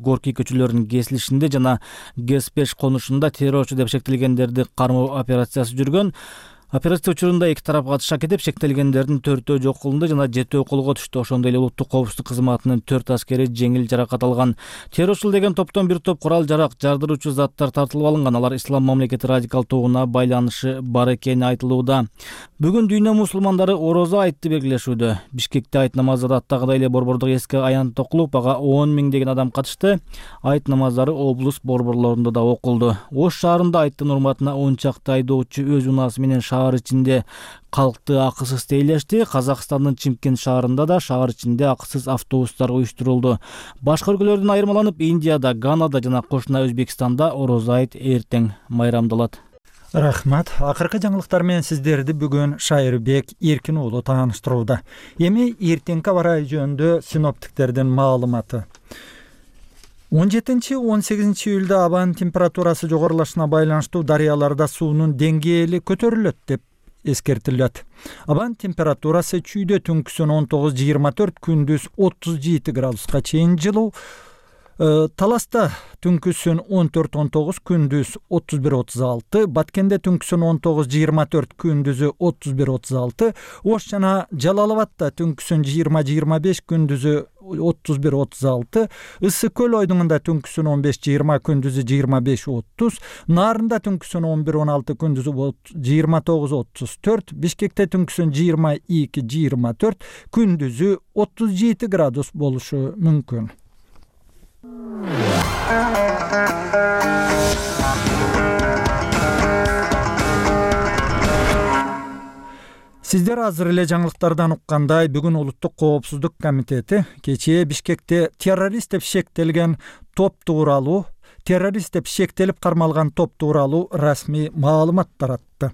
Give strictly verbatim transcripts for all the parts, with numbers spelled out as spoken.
Горький көчөлөрүнүн кесилишинде жана гэс беш конушунда террорчу деп шектелгендерди кармоо операциясы жүргөн. Операция учурунда эки тарап катышат кетип, шектелгендердин төртөө жок кылынды жана жетөө колго түштү. Ошондой эле улуттук коопсуздук кызматынын төрт аскери жеңил жаракат алган. Террорчул деген топтон бир топ курал-жарак, жардыруучу заттар тартылып алынган. Алар ислам мамлекети радикал тобуна байланышы бар экени айтылууда. Бүгүн дүйнө мусулмандары орозо айтты белгилешүүдө. Бишкекте айт намазы аттагыдай эле борбордук эске аянт окулуп, ага он миңдеген адам катышты. Айт намаздары облус борборлорунда да окулду. Ош шаарында айттын урматына он чакты айдоочу өз унаасы менен шаар ичинде калкты акысыз тейлешти. Казакстандын Чимкент шаарында да шаар ичинде акысыз автобустар уюштурулду. Башка өлкөлөрдөн айырмаланып, Индияда, Ганада жана кошуна Өзбекстанда орозо айт эртең майрамдалат. Рахмат. Акыркы жаңылыктар менен сиздерди бүгүн Шайырбек Эркин уулу тааныштырууда. Эми эртеңки аба ырайы жөнүндө синоптиктердин маалыматы. он жетинчи он сегизинчи июлда абанын температурасы жогорулашына байланыштуу дарыяларда суунун деңгээли көтөрүлөт деп эскертилет. Абанын температурасы чүйдө түнкүсүн он тогуз жыйырма төрт, күндүз отуз жети градуска чейин жылуу. Таласта түнкүсүн он төрт он тогуз, күндүз отуз бир отуз алты, Баткенде түнкүсүн он тогуз жыйырма төрт, күндүзү отуз бир отуз алты, Ош жана Жалал Абадта түнкүсүн жыйырма жыйырма беш, күндүзү отуз бир отуз алты, Ысык көл ойдуңунда түнкүсүн он беш жыйырма, күндүзү жыйырма беш отуз, Нарында түнкүсүн он бир он алты, күндүзү жыйырма тогуз отуз төрт, Бишкекте түнкүсүн жыйырма эки жыйырма төрт, күндүзү отуз жети градус болушу мүмкүн. Сиздер азыр эле жаңылыктардан уккандай, бүгүн Улуттук коопсуздук комитети кечээ Бишкекте террорист деп шектелген топ тууралуу, террорист деп шектелип кармалган топ тууралуу расмий маалымат таратты.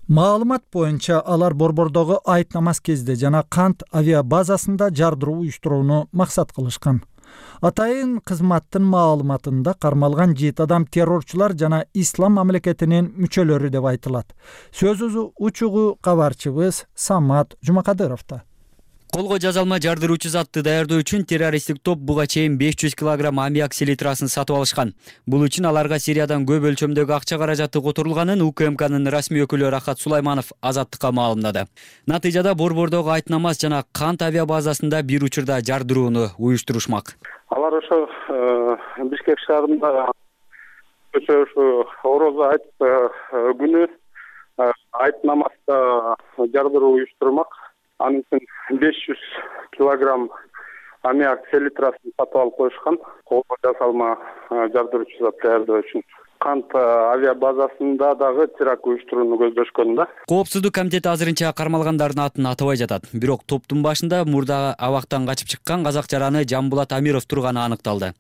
Маалымат боюнча алар борбордогу айт намаз кезде жана Кант авиа базасында жардыруу уюштурууну максат кылышкан. Атайын кызматтын маалыматында кармалган жети адам террорчулар жана ислам мамлекетинин мүчөлөрү деп айтылат. Сөз учугу кабарчыбыз Самат Жумакадыровдо. Колго жазалма жардыруучу затты даярдоо үчүн террористтик топ буга чейин беш жүз килограмм аммиак селитрасын сатып алышкан. Бул үчүн аларга Сириядан көп өлчөмдөгү акча каражаты которулганын УКМКнын расмий өкүлү Рахат Сулайманов Азаттыкка маалымдады. Натыйжада борбордогу айт намаз жана Кант авиа базасында бир учурда жардырууну уюштурушмак. Алар ошо Бишкек шаарында ошо орозо айт күнү айт намазда жардыруу уюштурмак. Анын үчүн беш жүз килограмм аммиак селитрасын сатып алып коюшкан. Колго жасалма жардыруучу зат даярдоо үчүн. Кант авиа базасында дагы теракт уюштурууну көздөшкөн да. Коопсуздук комитети азырынча кармалгандардын атын атабай жатат. Бирок топтун башында мурда абактан качып чыккан казак жараны Жамбулат Амиров турганы аныкталды.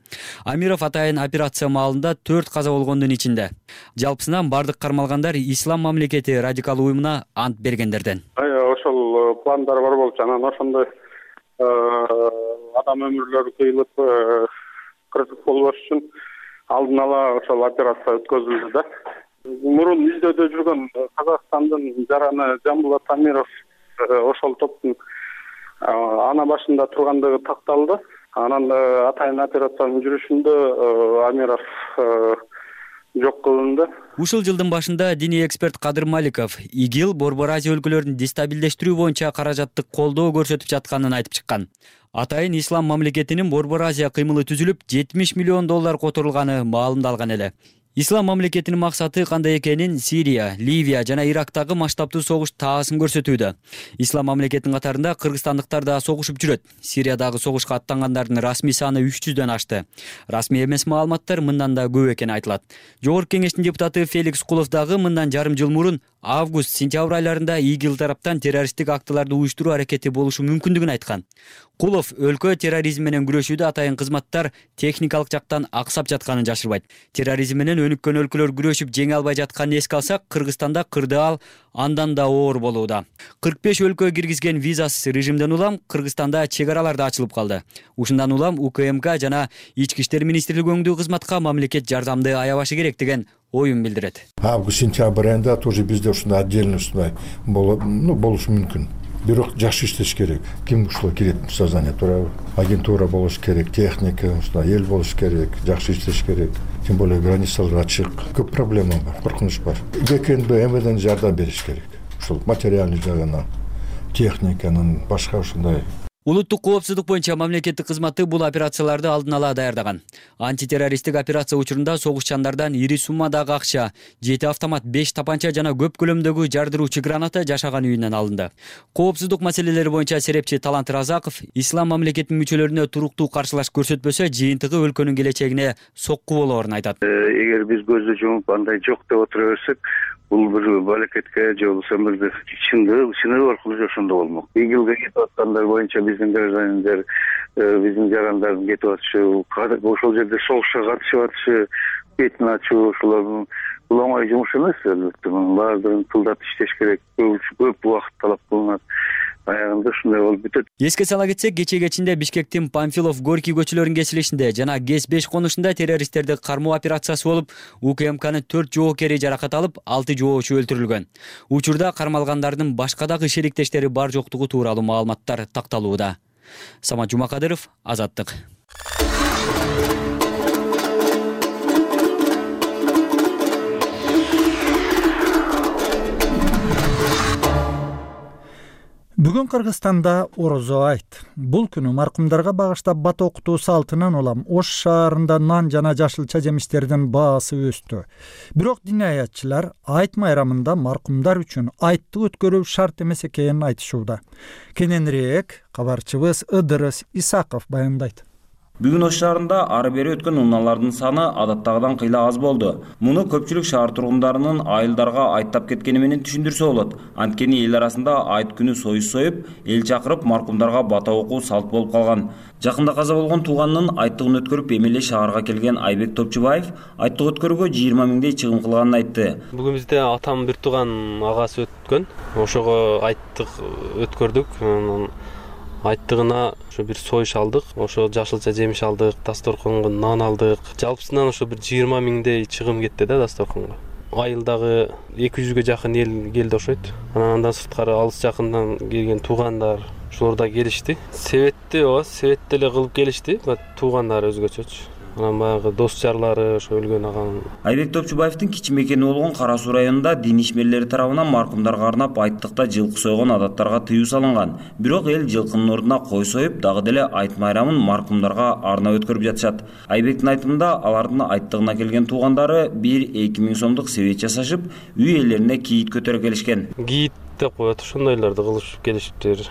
Амиров атайын операция маалында төрт каза болгондун ичинде. Жалпысынан бардык кармалгандар ислам мамлекети радикал уюмуна ант бергендерден. Ошол пландар бар болчу, анан ошондой адам өмүрлөрү кыйылып кырсык болбош үчүн алдын ала ошол операция өткөзүлдү да. Мурун издөөдө жүргөн Казакстандын жараны Жамбулат Амиров ошол топтун ана башында тургандыгы такталды. Анан атайын операциянын жүрүшүндө Амиров жок кылынды. Ушул жылдын башында диний эксперт Кадыр Маликов ИГИЛ Борбор Азия өлкөлөрүн дестабилдештирүү боюнча каражаттык колдоо көрсөтүп жатканын айтып чыккан. Атайын ислам мамлекетинин Борбор Азия кыймылы түзүлүп, жетимиш миллион доллар которулганы маалымдалган эле. Ислам мамлекетинин максаты кандай экенин Сирия, Ливия жана Ирактагы масштабтуу согуш таасын көрсөтүүдө. Ислам мамлекетинин катарында кыргызстандыктар да согушуп жүрөт. Сириядагы согушка аттангандардын расмий саны үч жүздөн ашты. Расмий эмес маалыматтар мындан да көп экени айтылат. Жогорку кеңештин депутаты Феликс Кулов дагы мындан жарым жыл мурун август-сентябрь айларында ИГИЛ тараптан террористтик актыларды уюштуруу аракети болушу мүмкүндүгүн айткан. Кулов өлкө терроризм менен күрөшүүдө атайын кызматтар техникалык жактан аксап жатканын жашырбайт. Терроризм менен өнүккөн өлкөлөр күрөшүп жеңе албай жатканын эске алсак, Кыргызстанда кырдаал андан да оор болууда. кырк беш өлкө киргизген визасыз режимден улам Кыргызстанда чек аралар да ачылып калды. Ушундан улам УКМК жана Ички иштер министрлиги өңдүү кызматка мамлекет жардамды аябашы керек деген оюн билдирет. Август-сентябрь айында тоже бизде ушундай отдельно ушундай болушу мүмкүн. бирок жакшы иштеш керек. Ким ушуга кирет? Сознание туурабы? Агентура болуш керек, техника, ушундай эл болуш керек, жакшы иштеш керек. Тем более границалар ачык. Көп проблема бар, коркунуч бар. ГКНБ, МВДнын жардам бериш керек. Ушул материальный жагынан, техниканын, башка ушундай. Улуттук коопсуздук боюнча мамлекеттик кызматы бул операцияларды алдын ала даярдаган. Антитеррористтик операция учурунда согушчандардан ири суммадагы акча, жети автомат, беш тапанча жана көп көлөмдөгү жардыруучу граната жашаган үйүнөн алынды. Коопсуздук маселелери боюнча серепчи Талант Разаков ислам мамлекетинин мүчөлөрүнө туруктуу каршылаш көрсөтпөсө, жыйынтыгы өлкөнүн келечегине сокку болоорун айтат. Эгер биз көздү жумуп андай жок деп отура берсек, бул бир балакетке же болбосо бир чындык чындык аркылуу ошондо болмок. Игилге кетип аткандар боюнча биздин граждандар, биздин жарандардын кетип атышы, ошол жерде согушка катышып атышы, бетин ачуу, ушулар бул оңой жумуш эмес. Албетте баардыгын тылдап иштеш керек. Көп убакыт талап кылынат. Аягында ушундай болуп бүтөт. Эске сала кетсек, кече кечинде Бишкектин Памфилов, Горький көчөлөрүнүн кесилишинде жана ГЭС беш конушунда террористтерди кармоо операциясы болуп, УКМКнын төрт жоокери жаракат алып, алты жоочу өлтүрүлгөн. Учурда кармалгандардын башка дагы шериктештери бар жоктугу тууралуу маалыматтар такталууда. Самат Жумакадыров, Азаттык. Бүгүн Кыргызстанда Орозо айт. Бул күнү маркумдарга багыштап бат окутуу салтынан улам Ош шаарында нан жана жашылча жемиштердин баасы өстү. Бирок диниаятчылар айт майрамында маркумдар үчүн айтты өткөрүү шарт эмес экенин айтышууда. Кененирээк кабарчыбыз Ыдырыс Исаков баяндайт. Бүгүн Ош шаарында ары бери өткөн унаалардын саны адаттагыдан кыйла аз болду. Муну көпчүлүк шаар тургундарынын айылдарга айттап кеткени менен түшүндүрсө болот. Анткени эл арасында айт күнү союз союп, эл чакырып маркумдарга бата окуу салт болуп калган. Жакында каза болгон тууганынын айттыгын өткөрүп эмеле шаарга келген Айбек Топчубаев айттык өткөрүүгө жыйырма миңдей чыгым кылганын айтты. Бүгүн бизде атам бир тууган агасы өткөн. Ошого айттык өткөрдүк. Айттыгына ошо бир союш алдык, ошо жашылча жемиш алдык, дасторконго нан алдык. Жалпысынан ошо бир жыйырма миңдей чыгым кетти да дасторконго. Айылдагы эки жүзгө жакын эл келди окшойт. Анан андан сырткары алыс жакындан келген туугандар ошолор да келишти. Себетти, ооба, себет деле кылып келишти, туугандары өзгөчөчү. Анан баягы дос жарлары ошо өлгөн аган. Айбек Топчубаевдин кичи мекени болгон Кара Суу районунда дин ишмерлери тарабынан маркумдарга арнап айттыкта жылкы сойгон адаттарга тыюу салынган. Бирок эл жылкынын ордуна кой союп, дагы деле айт майрамын маркумдарга арнап өткөрүп жатышат. Айбектин айтымында алардын айттыгына келген туугандары бир-эки миң сомдук себет жасашып, үй ээлерине кийит көтөрө келишкен. Кийит деп коет, ошондойлорду кылышып келишиптир.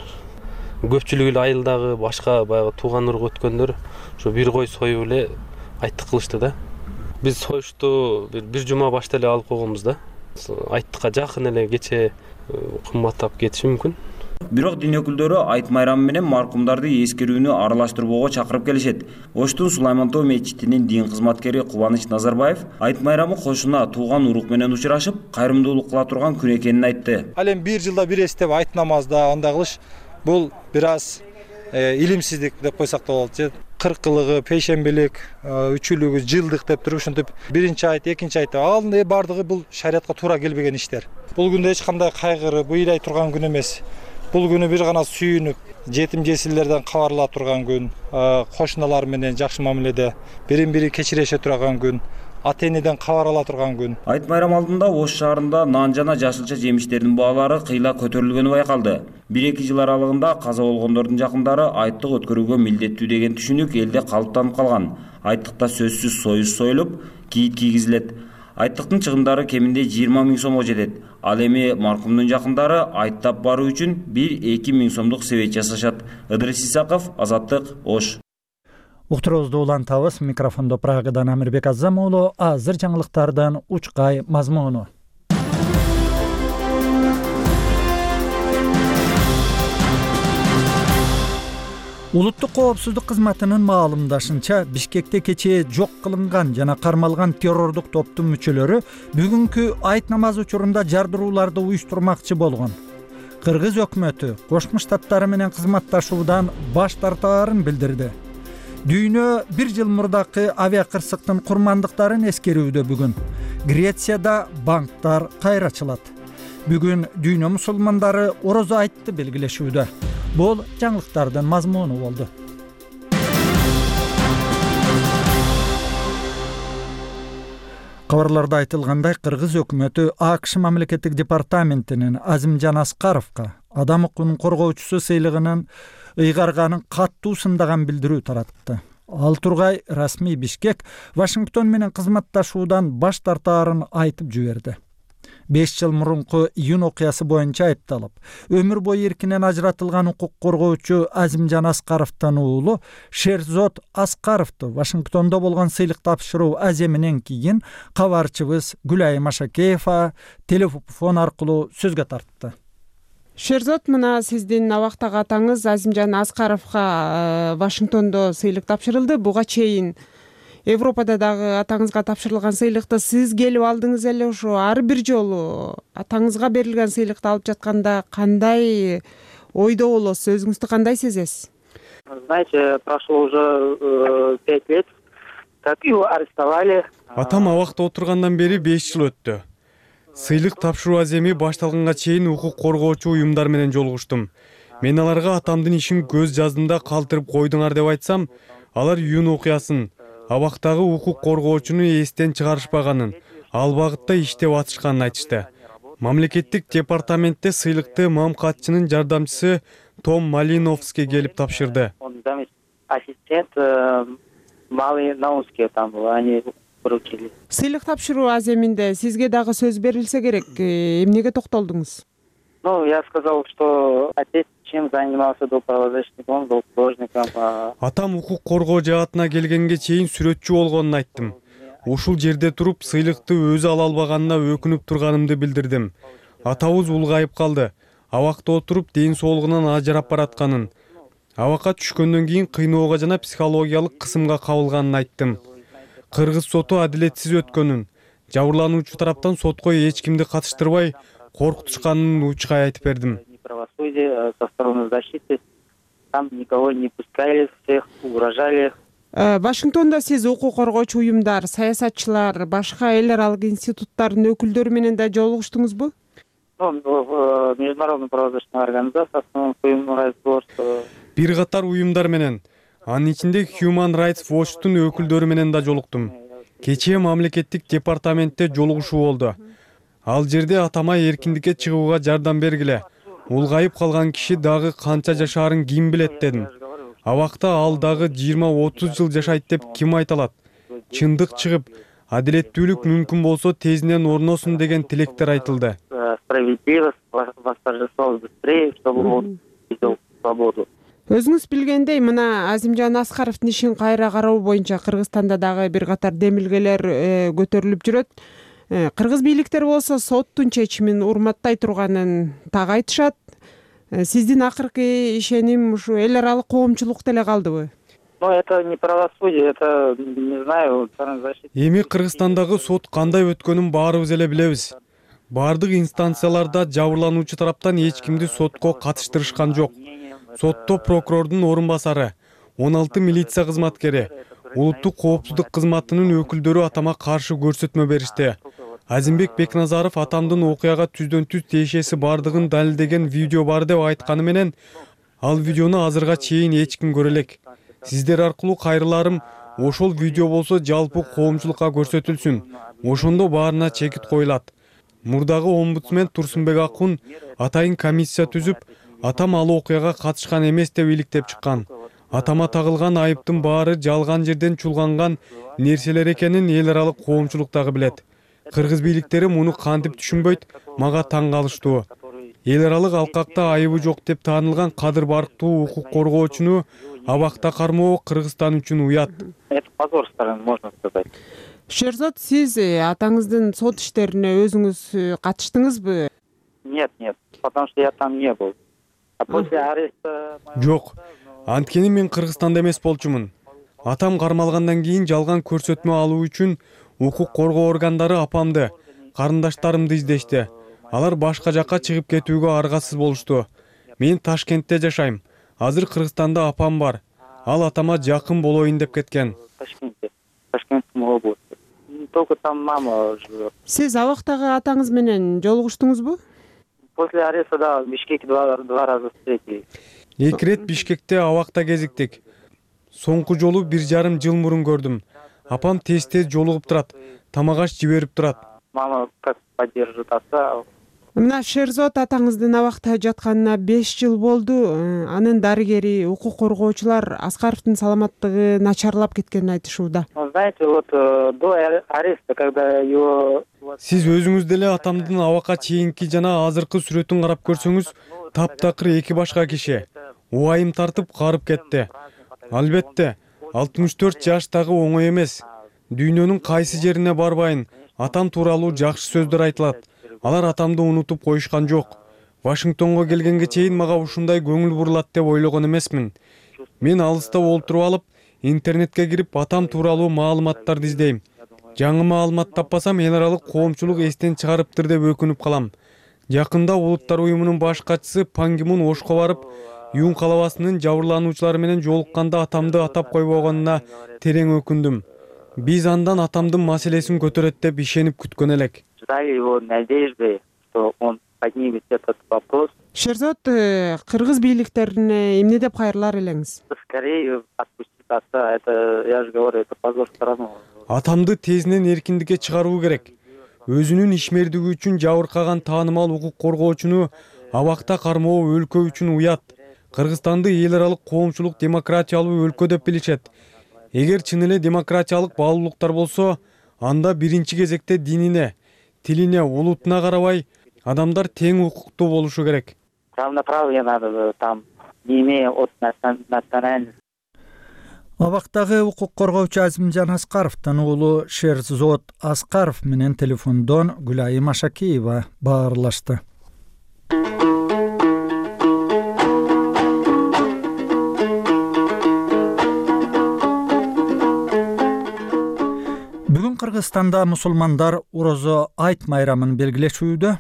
Көпчүлүгү эле айылдагы башка баягы тууган урук өткөндөр ошо бир кой союп эле айттык кылышты да. Биз союшту бир бир жума башта эле алып койгонбуз да. Айттыкка жакын эле кече кымбаттап кетиши мүмкүн. Бирок дин өкүлдөрү айт майрамы менен маркумдарды эскерүүнү аралаштырбоого чакырып келишет. Оштун Сулайман Тоо мечитинин дин кызматкери Кубаныч Назарбаев айт майрамы кошуна тууган урук менен учурашып, кайрымдуулук кыла турган күн экенин айтты. Ал эми бир жылда бир эстеп айт намазда андай кылыш бул бир аз илимсиздик деп койсок да болот. Кыркылыгы, пейшембилик, үчүлүгү, жылдык деп туруп ушинтип биринчи айт, экинчи айт ал баардыгы бул шариятка туура келбеген иштер. Бул күндө эч кандай кайгыры, буйдай турган күн эмес. Бул күнү бир гана сүйүнүп, жетим жесирлерден кабарла турган күн, кошуналар менен жакшы мамиледе бирин бири кечирише турган күн, ата-энеден кабар ала турган күн. Айт майрам алдында Ош шаарында нан жана жашылча жемиштердин баалары кыйла көтөрүлгөнү байкалды. бир-эки жыл аралыгында каза болгондордун жакындары айттык өткөрүүгө милдеттүү деген түшүнүк элде калыптанып калган. Айттыкта сөзсүз союз союлуп, кийит кийгизилет. Айттыктын чыгымдары кеминде жыйырма миң сомго жетет. Ал эми маркумдун жакындары айттап баруу үчүн бир-эки миң сомдук себет жасашат. Ыдырыс Исаков, Азаттык, Ош. Уктуруубузду улантабыз. Микрофондо Прагадан Амирбек Азам уулу. Азыр жаңылыктардан учкай мазмуну. Улуттук коопсуздук кызматынын маалымдашынча, Бишкекте кечээ жок кылынган жана кармалган террордук топтун мүчөлөрү бүгүнкү айт намазы учурунда жардырууларды уюштурмакчы болгон. Кыргыз өкмөтү Кошмо Штаттары менен кызматташуудан баш тартаарын билдирди. Дүйнө бир жыл мурдакы авиакырсыктын курмандыктарын эскерүүдө бүгүн. Грецияда банктар кайра ачылат. Бүгүн дүйнө мусулмандары орозо айтты белгилешүүдө. Бул жаңылыктардын мазмуну болду. Кабарларда айтылгандай, Кыргыз өкмөтү АКШ мамлекеттик департаментинин Азимжан Аскаровго адам укугунун коргоочусу сыйлыгынын ыйгарганын каттуу сындаган билдирүү таратты. Ал тургай расмий Бишкек Вашингтон менен кызматташуудан баш тартаарын айтып жиберди. беш жыл мурунку июнь окуясы боюнча айыпталып, өмүр бою эркинен ажыратылган укук коргоочу Азимжан Аскаровдун уулу Шерзот Аскаровду Вашингтондо болгон сыйлык тапшыруу аземинен кийин кабарчыбыз Гүлайым Ашакеева телефон аркылуу сөзгө тартты. Шерзот, мына сиздин абактагы атаңыз Азимжан Аскаровго Вашингтондо сыйлык тапшырылды. Буга чейин Европада дагы атаңызга тапшырылган сыйлыкты сиз келип алдыңыз эле. Ошо ар бир жолу атаңызга берилген сыйлыкты алып жатканда кандай ойдо болосуз, өзүңүздү кандай сезесиз? Знаете, прошло уже пять лет, как его арестовали. Атам абакта отургандан бери беш жыл өттү. Сыйлык тапшыруу аземи башталганга чейин укук коргоочу уюмдар менен жолугуштум. Мен аларга атамдын ишин көз жаздымда калтырып койдуңар деп айтсам, алар июнь окуясын, абактагы укук коргоочуну эстен чыгарышпаганын, ал багытта иштеп атышканын айтышты. Мамлекеттик департаментте сыйлыкты мамкатчынын жардамчысы Том Малиновский келип тапшырды. Ассистент Малиновский там был, они поручили. Сыйлык тапшыруу аземинде сизге дагы сөз берилсе керек. Эмнеге токтолдуңуз? Ну, я сказал, что отец чем занимался до правозащитника, он был художником. Атам укук коргоо жаатына келгенге чейин сүрөтчү болгонун айттым. Ушул жерде туруп сыйлыкты өзү ала албаганына өкүнүп турганымды билдирдим. Атабыз улгайып калды. Абакта отуруп ден соолугунан ажырап баратканын, абакка түшкөндөн кийин кыйноого жана психологиялык кысымга кабылганын айттым. Кыргыз соту адилетсиз өткөнүн, жабырлануучу тараптан сотко эч кимди катыштырбай коркутушканын учкай айтып бердим. Правосудие со стороны защиты, там никого не пускали, всех угрожали. Вашингтондо сиз укук коргоочу уюмдар, саясатчылар, башка эл аралык институттардын өкүлдөрү менен да жолугуштуңузбу? Ну, в международной правозащитной организации, основном Human Rights Watch. Бир катар уюмдар менен, анын ичинде Human Rights Watchtун өкүлдөрү менен да жолуктум. Кечээ мамлекеттик департаментте жолугушуу болду. Ал жерде атама эркиндикке чыгууга жардам бергиле. Улгайып калган киши дагы канча жашаарын ким билет дедим. Абакта ал дагы жыйырма отуз жыл жашайт деп ким айта алат? Чындык чыгып, адилеттүүлүк мүмкүн болсо тезинен орносун деген тилектер айтылды. Справедливость восторжествовала быстрее, чтобы он видел свободу. Өзүңүз билгендей, мына Азимжан Аскаровдун ишин кайра кароо боюнча Кыргызстанда дагы бир катар демилгелер көтөрүлүп жүрөт. Кыргыз бийликтери болсо соттун чечимин урматтай турганын так айтышат. Сиздин акыркы ишеним ушу эл аралык коомчулукта эле калдыбы? Ну, это не правосудие, это, не знаю, защита. Эми Кыргызстандагы сот кандай өткөнүн баарыбыз эле билебиз. Бардык инстанцияларда жабырлануучу тараптан эч кимди сотко катыштырышкан жок. Сотто прокурордун орун басары, он алты милиция кызматкери, улуттук коопсуздук кызматынын өкүлдөрү атама каршы көрсөтмө беришти. Азимбек Бекназаров атамдын окуяга түздөн түз тиешеси бардыгын далилдеген видео бар деп айтканы менен, ал видеону азырга чейин эч ким көрө элек. Сиздер аркылуу кайрыларым, ошол видео болсо жалпы коомчулукка көрсөтүлсүн. Ошондо баарына чекит коюлат. Мурдагы омбудсмен Турсунбек Акун атайын комиссия түзүп, атам ал окуяга катышкан эмес деп иликтеп чыккан. Атама тагылган айыптын баары жалган жерден чулганган нерселер экенин эл аралык коомчулук дагы билет. Кыргыз бийликтери муну кантип түшүнбөйт, мага таң калыштуу. Эл аралык алкакта айыбы жок деп таанылган Кадыр Барктуу укук коргоочуну абакта кармоо Кыргызстан үчүн уят. Это позор страны, можно сказать. Шерзот, сиз атаңыздын сот иштерине өзүңүз катыштыңызбы? Нет, нет, потому что я там не был. А после ареста... Жок, анткени мен Кыргызстанда эмес болчумун. Атам кармалгандан кийин жалган көрсөтмө алуу үчүн укук коргоо органдары апамды, карындаштарымды издешти. Алар башка жакка чыгып кетүүгө аргасыз болушту. Мен Ташкентте жашайм. Азыр Кыргызстанда апам бар. Ал атама жакын болоюн деп кеткен. Ташкентте, Ташкентском области. Только там мама живет. Сиз абактагы атаңыз менен жолугуштуңузбу? после ареста да Бишкек два раза встретились. Эки ирет Бишкекте абакта кезиктик. Соңку жолу бир жарым жыл мурун көрдүм. Апам тез-тез жолугуп турат, тамак аш жиберип турат. Мама как поддержит отца. Мына Шерзот атаңыздын абакта жатканына беш жыл болду. Анын дарыгери, укук коргоочулар Аскаровдун саламаттыгы начарлап кеткенин айтышууда. Знаете, вот до ареста, когда его... Сиз өзүңүз деле атамдын абакка чейинки жана азыркы сүрөтүн карап көрсөңүз, таптакыр эки башка киши. Убайым тартып карып кетти. Албетте, алтымыш төрт жаштагы оңой эмес. Дүйнөнүн кайсы жерине барбайын, атам тууралуу жакшы сөздөр айтылат. Алар атамды унутуп коюшкан жок. Вашингтонго келгенге чейин мага ушундай көңүл бурулат деп ойлогон эмесмин. Мен алыста олтуруп алып, интернетке кирип атам тууралуу маалыматтарды издейм. Жаңы маалымат таппасам, эл аралык коомчулук эстен чыгарыптыр деп өкүнүп калам. Жакында Улуттар уюмунун баш катчысы Пан Ги Мун Ошко барып, Юн калабасынын жабырлануучулары менен жолукканда атамды атап койбогонуна терең өкүндүм. Биз андан атамдын маселесин көтөрөт деп ишенип күткөн элек. Ждали его надежды, что он поднимет этот вопрос. Шерзот, кыргыз бийликтерине эмне деп кайрылар элеңиз? Скорее отпустить отца, это, я же говорю, это позор страны. Атамды тезинен эркиндикке чыгаруу керек. Өзүнүн ишмердиги үчүн жабыркаган таанымал укук коргоочуну абакта кармоо өлкө үчүн уят. Кыргызстанды эл аралык коомчулук демократиялуу өлкө деп билишет. Эгер чын эле демократиялык баалуулуктар болсо, анда биринчи кезекте динине, тилине, улутуна карабай адамдар тең укуктуу болушу керек. Равноправие надо там, не имея от национальности. Абактагы укук коргоочу Азимжан Аскаровдун уулу Шерзот Аскаров менен телефондон Гүлайым Ашакиева баарлашты. Бүгүн Кыргызстанда мусулмандар Орозо айт майрамын белгилешүүдө.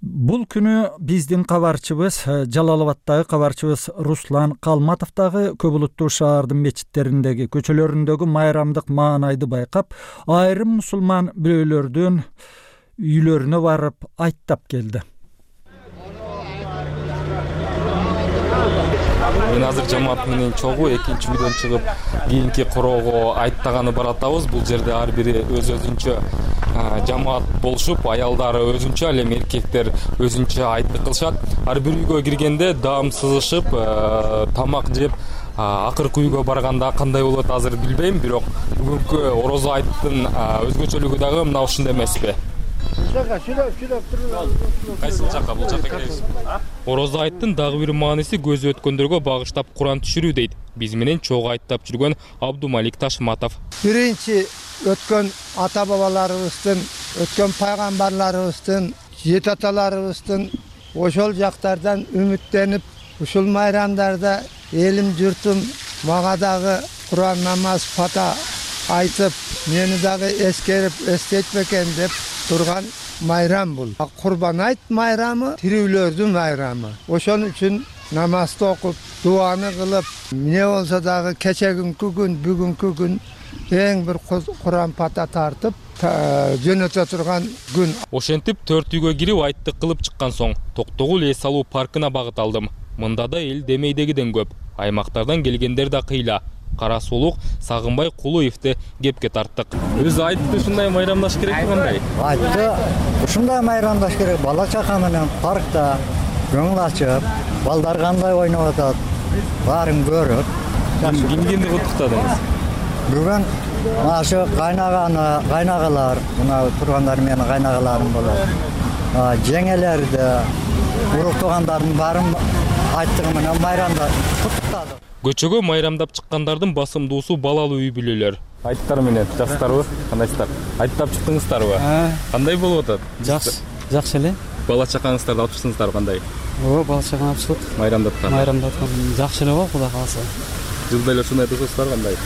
Бул күнү биздин кабарчыбыз, Жалал-Абадтагы кабарчыбыз Руслан Калматов дагы көп улуттуу шаардын мечиттериндеги, көчөлөрүндөгү майрамдык маанайды байкап, айрым мусулман бирөөлөрдүн үйлөрүнө барып айттап келди. Мен азыр жамаат менен чогуу экинчи үйдөн чыгып, кийинки короого айттаганы баратабыз. Бул жерде ар бири өз өзүнчө жамаат болушуп, аялдары өзүнчө, ал эми эркектер өзүнчө айтты кылышат. Ар бир үйгө киргенде даам сызышып, тамак жеп, акыркы үйгө барганда кандай болот азыр билбейм, бирок бүгүнкү Орозо айттын өзгөчөлүгү дагы мына ушундай эмеспи? Кайсыл жакка, бул жакка киресиз? Орозо айттын дагы бир мааниси көзү өткөндөргө багыштап Куран түшүрүү дейт. Биз менен чогуу айттап жүргөн Абдумалик Ташматов. Биринчи өткөн ата бабаларыбыздын, өткөн пайгамбарларыбыздын, жет аталарыбыздын ошол жактардан үмүттенип, ушул майрамдарда элим журтум мага дагы Куран намаз фата айтып, мени дагы эскерип эстетпекен деп турган майрам бул. Курбан айт майрамы тирүүлөрдүн майрамы. Ошон үчүн намазды окуп, дуаны кылып, эмне болсо дагы кечегинки күн, бүгүнкү күн эң бир Куран фата тартып, жөнөтө турган күн. Ошентип төрт үйгө кирип айттык кылып чыккан соң Токтогул эс алуу паркына багыт алдым. Мында да эл демейдегиден көп. Аймактардан келгендер да кыйла. Кара Сулук, Сагынбай Кулуевди кепке тарттык. Өзү айтты ушундай майрамдаш керек кандай? Айтты, ушундай майрамдаш керек. Бала чака менен паркта көңүл ачып, балдар кандай ойноп атат, баарын көрүп. Ким кимди куттуктадыңыз? Бүгүн ашы кайнаганы, кайнагалар, мына тургандар менин кайнагаларым болот. Жеңелерди, урук туугандардын баарын айттыгы менен майрамда куттуктадык. Көчөгө майрамдап чыккандардын басымдуусу балалуу үй бүлөлөр. Айттар менен жаштарбы? Кандайсыздар? Айттап чыктыңыздарбы? Кандай болуп атат? Жакшы, жакшы эле. Бала чакаңыздарды алып чыктыңыздарбы кандай? Ооба, бала чаканы алып чыктык. Майрамдаткан. Майрамдаткан жакшы эле болуп, Кудай кааласа. Жылда эле ушундай тосуңуздар кандай?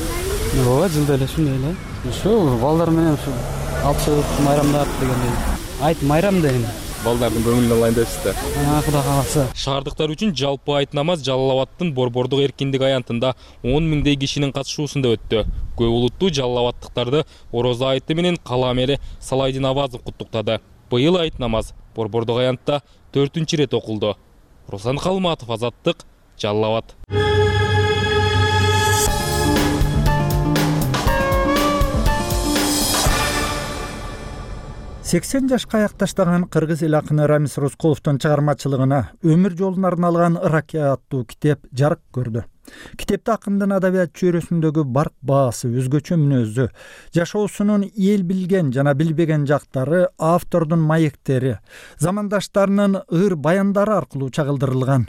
Ооба, жылда эле ушундай эле. Ушу балдар менен ушу алып чыгып майрамдап дегендей. Айт майрам дейм. Балдардын көңүлүн алайын депсиздер. Кудай кааласа. Шаардыктар үчүн жалпы айт намаз Жалал-Абадтын Борбордук эркиндик аянтында он миңдей кишинин катышуусунда өттү. Көп улуттуу Жалал-Абадтыктарды Орозо айты менен кала мэри Салайдин Авазов куттуктады. Быйыл айт намаз Борбордук аянтта төртүнчү ирет окулду. Руслан Калматов, Азаттык, Жалал Абад. сексен жашка аякташтаган кыргыз эл акыны Рамис Рыскуловдун чыгармачылыгына өмүр жолун арналган «Ыракке» аттуу китеп жарык көрдү. Китепте акындын адабият чөйрөсүндөгү барк баасы, өзгөчө мүнөзү, жашоосунун эл билген жана билбеген жактары, автордун маектери, замандаштарынын ыр баяндары аркылуу чагылдырылган.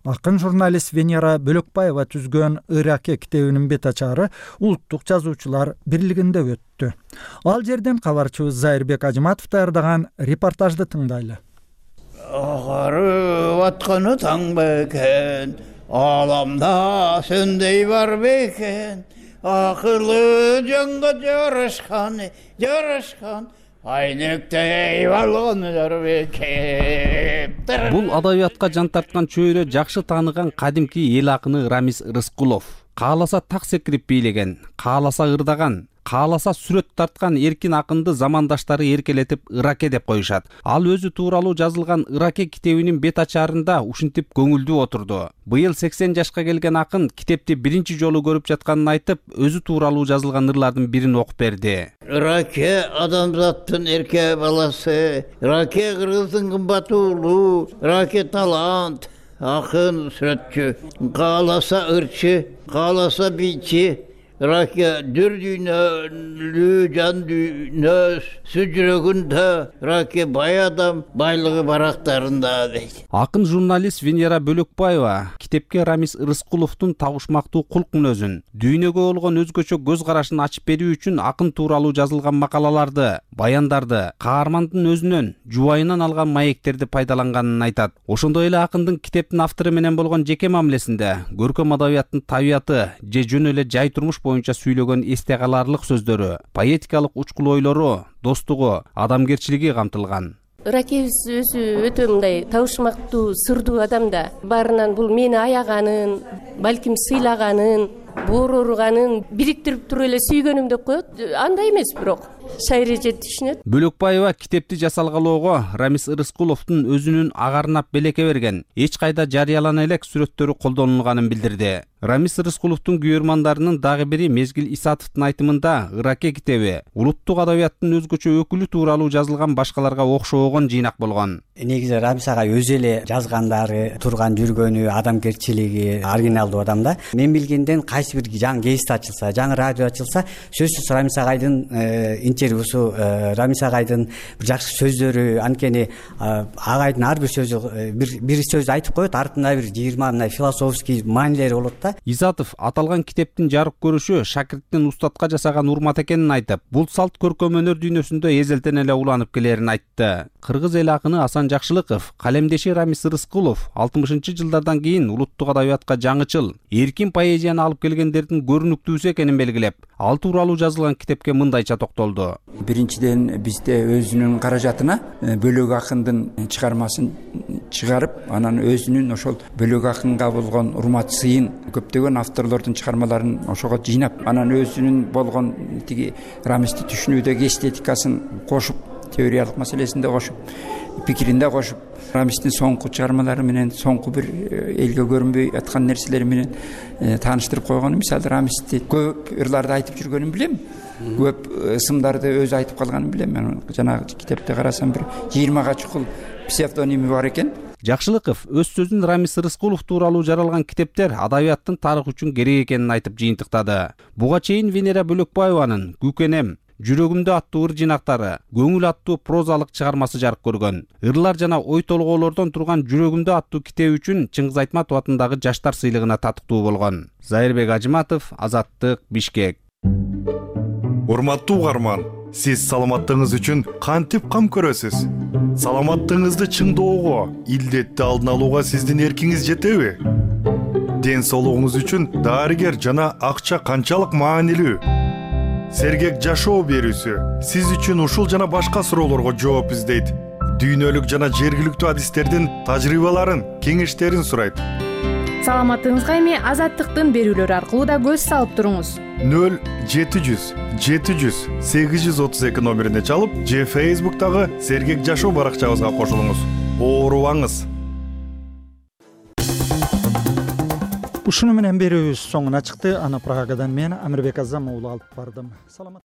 Акын журналист Венера Бөлөкбаева түзгөн «Ыракке» китебинин бет ачары Улуттук жазуучулар бирлигинде өттү. Ал жерден кабарчыбыз Зайырбек Ажыматов даярдаган репортажды тыңдайлы. Агарып атканы таң бекен, аламда сөндей бар бекен, акылы жанга жарашкан, жарашкан, айнектей балгондар бекен. Бул адабиятка жан тарткан чөйрө жакшы тааныган кадимки эл акыны Рамис Рыскулов. Кааласа так секирип бийлеген, кааласа ырдаган, кааласа сүрөт тарткан эркин акынды замандаштары эркелетип «Ыракке» деп коюшат. Ал өзү тууралуу жазылган «Ыракке» китебинин бет ачарында ушинтип көңүлдүү отурду. Быйыл сексен жашка келген акын китепти биринчи жолу көрүп жатканын айтып, өзү тууралуу жазылган ырлардын бирин окуп берди. «Ыракке адамзаттын эрке баласы, Ыракке кыргыздын кымбат уулу, Ыракке талант, акын сүрөтчү, кааласа ырчы, кааласа бийчи, Ыракке дүр дүйнөлүү жан дүйнөс сүжүрөгүндө, Ыракке бай адам байлыгы барактарында дейт. Акын журналист Венера Бөлөкбаева китепке Рамис Рыскуловдун табышмактуу кулк мүнөзүн, дүйнөгө болгон өзгөчө көз карашын ачып берүү үчүн акын тууралуу жазылган макалаларды, баяндарды, каармандын өзүнөн, жубайынан алган маектерди пайдаланганын айтат. Ошондой эле акындын китептин автору менен болгон жеке мамилесинде көркөм адабияттын табияты же жөн эле жай турмуш боюнча сүйлөгөн эсте каларлык сөздөрү, поэтикалык учкул ойлору, достугу, адамгерчилиги камтылган. Ыраккебиз өзү өтө мындай табышмактуу, сырдуу адам да. Баарынан бул мени аяганын, балким сыйлаганын, боору ооруганын бириктирип туруп эле сүйгөнүм деп коет. Андай эмес бирок. Шайыр эже түшүнөт. Бөлөкбаева китепти жасалгалоого Рамис Рыскуловдун өзүнүн агарынап белекке берген, эч кайда жарыялана элек сүрөттөрү колдонулганын билдирди. Рамис Рыскуловдун күйөрмандарынын дагы бири Мезгил Исатовдун айтымында «Ыракке» китеби улуттук адабияттын өзгөчө өкүлү тууралуу жазылган башкаларга окшогон жыйнак болгон. Негизи Рамис ага өзү эле жазгандары, турган жүргөнү, адамгерчилиги оригиналдуу адам да. Мен билгенден кайсы бир жаңы гезит ачылса, жаңы радио ачылса, сөзсүз Рамис агайдын интервьюсу, Рамис агайдын жакшы сөздөрү, анткени агайдын ар бир сөзү бир бир сөз айтып коет, артында бир жыйырма мындай философский маанилери болот да. Исатов аталган китептин жарык көрүшү шакирттин устатка жасаган урмат экенин айтып, бул салт көркөм өнөр дүйнөсүндө эзелтен эле уланып келерин айтты. Кыргыз эл акыны Асан Жакшылыков, калемдеши Рамис Рыскулов алтымышынчы жылдардан кийин улуттук адабиятка жаңычыл, эркин поэзияны алып келгендердин көрүнүктүүсү экенин белгилеп, ал тууралуу жазылган китепке мындайча токтолду. Биринчиден бизде өзүнүн каражатына бөлөк акындын чыгармасын чыгарып, анан өзүнүн ошол бөлөк акынга болгон урмат сыйын көптөгөн авторлордун чыгармаларын ошого жыйнап, анан өзүнүн болгон тиги Рамисти түшүнүүдөгү эстетикасын кошуп, теориялык маселесинде кошуп, пикиринде кошуп, Рамистин соңку чыгармалары менен, соңку бир элге көрүнбөй аткан нерселери менен тааныштырып койгон. Мисалы, Рамисти көп ырларды айтып жүргөнүн билем, көп ысымдарды өзү айтып калганын билем. Мен жанагы китепте карасам бир жыйырмага чукул псевдоними бар экен. Жакшылыков өз сөзүн Рамис Рыскулов тууралуу жаралган китептер адабияттын тарыхы үчүн керек экенин айтып жыйынтыктады. Буга чейин Венера Бөлөкбаеванын «Күкенем», «Жүрөгүмдө» аттуу ыр жинактары, «Көңүл» аттуу прозалык чыгармасы жарык көргөн. Ырлар жана ой толгоолордон турган «Жүрөгүмдө» аттуу китеби үчүн Чыңгыз Айтматов атындагы жаштар сыйлыгына татыктуу болгон. Зайырбек Ажыматов, Азаттык, Бишкек. Урматтуу угарман, сиз саламаттыгыңыз үчүн кантип кам көрөсүз? Саламаттыгыңызды чыңдоого, илдетти алдын алууга сиздин эркиңиз жетеби? Ден соолугуңуз үчүн дарыгер жана акча канчалык маанилүү? Сергек жашоо берүүсү сиз үчүн ушул жана башка суроолорго жооп издейт. Дүйнөлүк жана жергиликтүү адистердин тажрыйбаларын, кеңештерин сурайт. Саламаттыгыңызга эми Азаттыктын берүүлөрү аркылуу да көз салып туруңуз. нөл жети жүз жети жүз сегиз жүз отуз эки номерине чалып же Facebook'тагы Сергек жашоо баракчабызга кошулуңуз. Оорубаңыз. Ушуну менен берүүбүз соңуна чыкты. Аны Прагадан мен Амирбек Азам уулу алып бардым. Саламат